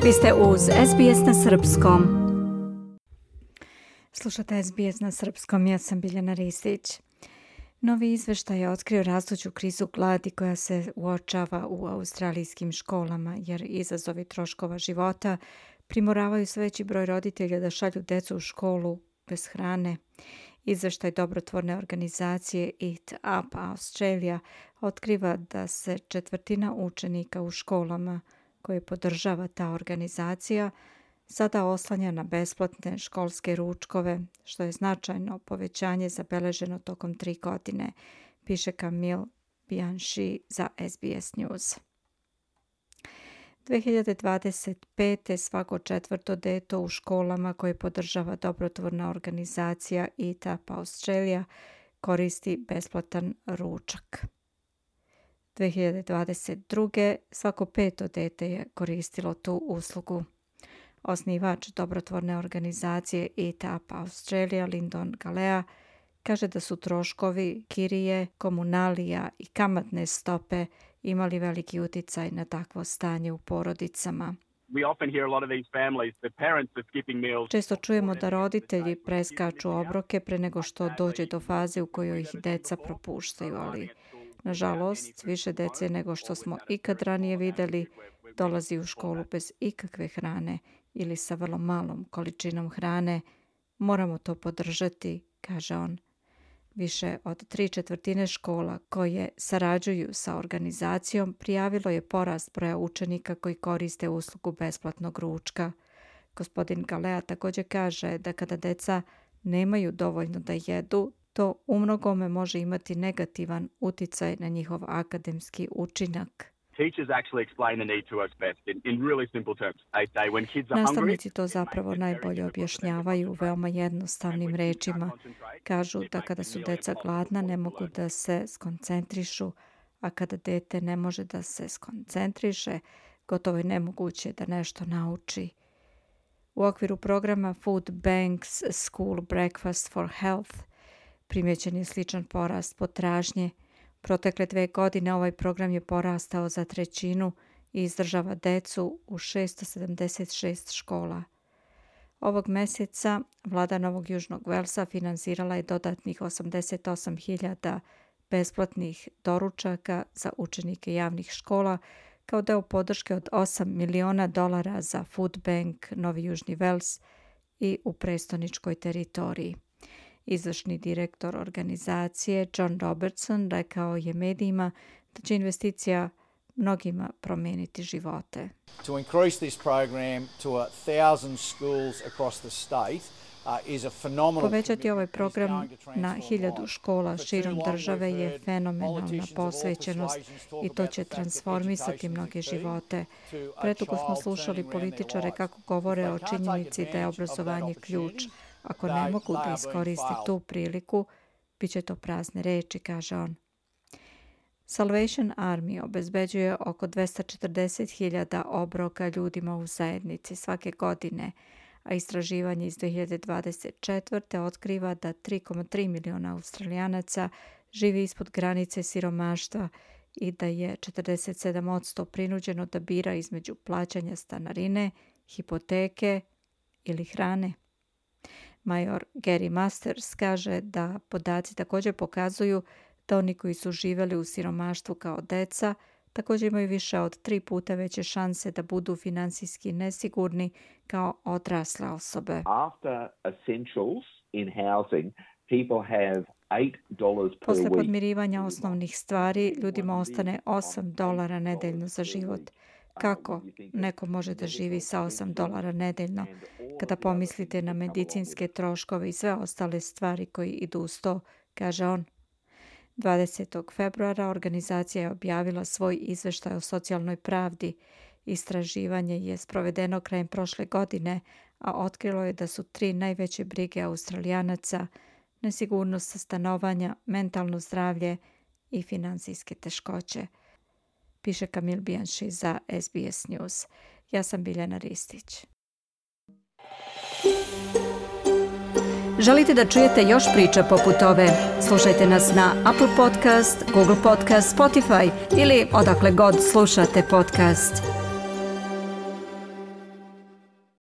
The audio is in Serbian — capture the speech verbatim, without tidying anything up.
Vi ste uz S B S na srpskom. Slušate S B S na srpskom, ja sam Biljana Ristić. Novi izveštaj je otkrio rastuću krizu gladi koja se uočava u australijskim školama, jer izazovi troškova života primoravaju sve veći broj roditelja da šalju decu u školu bez hrane. Izveštaj dobrotvorne organizacije Eat Up Australia otkriva da se četvrtina učenika u školama koje podržava ta organizacija sada oslanja na besplatne školske ručkove, što je značajno povećanje zabeleženo tokom tri godine, piše Camille Bianchi za S B S News. dve hiljade dvadeset pete. svako četvrto dete u školama koje podržava dobrotvorna organizacija Eat Up Australia koristi besplatan ručak. dve hiljade dvadeset druge. svako peto dete je koristilo tu uslugu. Osnivač dobrotvorne organizacije Eat Up Australia, Lyndon Galea, kaže da su troškovi kirije, komunalija i kamatne stope imali veliki uticaj na takvo stanje u porodicama. Često čujemo da roditelji preskaču obroke pre nego što dođe do faze u kojoj ih deca propuštaju, ali nažalost više dece nego što smo ikad ranije videli dolazi u školu bez ikakve hrane ili sa vrlo malom količinom hrane. Moramo to podržati, kaže on. Više od tri četvrtine škola koje sarađuju sa organizacijom prijavilo je porast broja učenika koji koriste uslugu besplatnog ručka. Gospodin Galea također kaže da kada deca nemaju dovoljno da jedu, to umnogome može imati negativan uticaj na njihov akademski učinak. Nastavnici to zapravo najbolje objašnjavaju u veoma jednostavnim rečima. Kažu da kada su deca gladna ne mogu da se skoncentrišu, a kada dete ne može da se skoncentriše, gotovo je nemoguće da nešto nauči. U okviru programa Food Banks School Breakfast for Health primjećen je sličan porast potražnje. Protekle dve godine ovaj program je porastao za trećinu i izdržava decu u šesto sedamdeset šest škola. Ovog mjeseca vlada Novog Južnog Velsa finansirala je dodatnih osamdeset osam hiljada besplatnih doručaka za učenike javnih škola kao deo podrške od osam miliona dolara za Food Bank Novi Južni Vels i u prestoničkoj teritoriji. Izvršni direktor organizacije John Robertson rekao je medijima da će investicija mnogima promijeniti živote. To increase this program to a thousand schools across the state uh, is a phenomenal. Povećati ovaj program na hiljadu škola širom države je fenomenalna posvećenost i to će transformisati mnoge živote. Predugo smo slušali političare kako govore o činjenici da je obrazovanje ključ. Ako ne mogu da iskoriste tu priliku, bit će to prazne reči, kaže on. Salvation Army obezbeđuje oko dvesta četrdeset hiljada obroka ljudima u zajednici svake godine, a istraživanje iz dve hiljade dvadeset četvrte otkriva da tri zarez tri miliona Australijanaca živi ispod granice siromaštva i da je četrdeset sedam posto prinuđeno da bira između plaćanja stanarine, hipoteke ili hrane. Major Gary Masters kaže da podaci također pokazuju da oni koji su živjeli u siromaštvu kao deca također imaju više od tri puta veće šanse da budu finansijski nesigurni kao odrasle osobe. Posle podmirivanja osnovnih stvari ljudima ostane osam dolara nedeljno za život. Kako neko može da živi sa osam dolara nedeljno kada pomislite na medicinske troškove i sve ostale stvari koji idu uz to, kaže on. dvadesetog februara organizacija je objavila svoj izveštaj o socijalnoj pravdi. Istraživanje je sprovedeno krajem prošle godine, a otkrilo je da su tri najveće brige Australijanaca nesigurnost stanovanja, mentalno zdravlje i finansijske teškoće, piše Camille Bianchi za S B S News. Ja sam Biljana Ristić. Želite da čujete još priča poput ove? Slušajte nas na Apple Podcast, Google Podcast, Spotify ili odakle god slušate podcast.